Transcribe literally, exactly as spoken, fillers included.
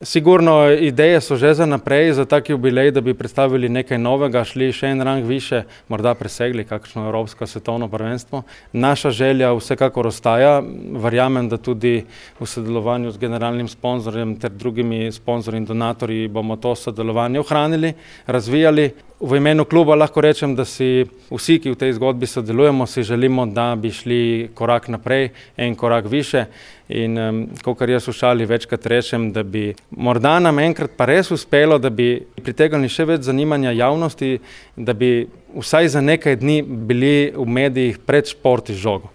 Sigurno ideje so že za naprej, za tak jubilej, da bi predstavili nekaj novega, šli še en rang više, morda presegli kakšno evropsko svetovno prvenstvo. Naša želja vsekakor ostaja, verjamem, da tudi v sodelovanju z generalnim sponzorjem ter drugimi sponzorji in donatorji bomo to sodelovanje ohranili, razvijali. V imenu kluba lahko rečem, da si vsi, ki v tej zgodbi sodelujemo, si želimo, da bi šli korak naprej, en korak više. In kakor jaz v šali večkrat rečem, da bi morda nam enkrat pa res uspelo, da bi pritegnili še več zanimanja javnosti, da bi vsaj za nekaj dni bili v medijih pred Šport iz žogo.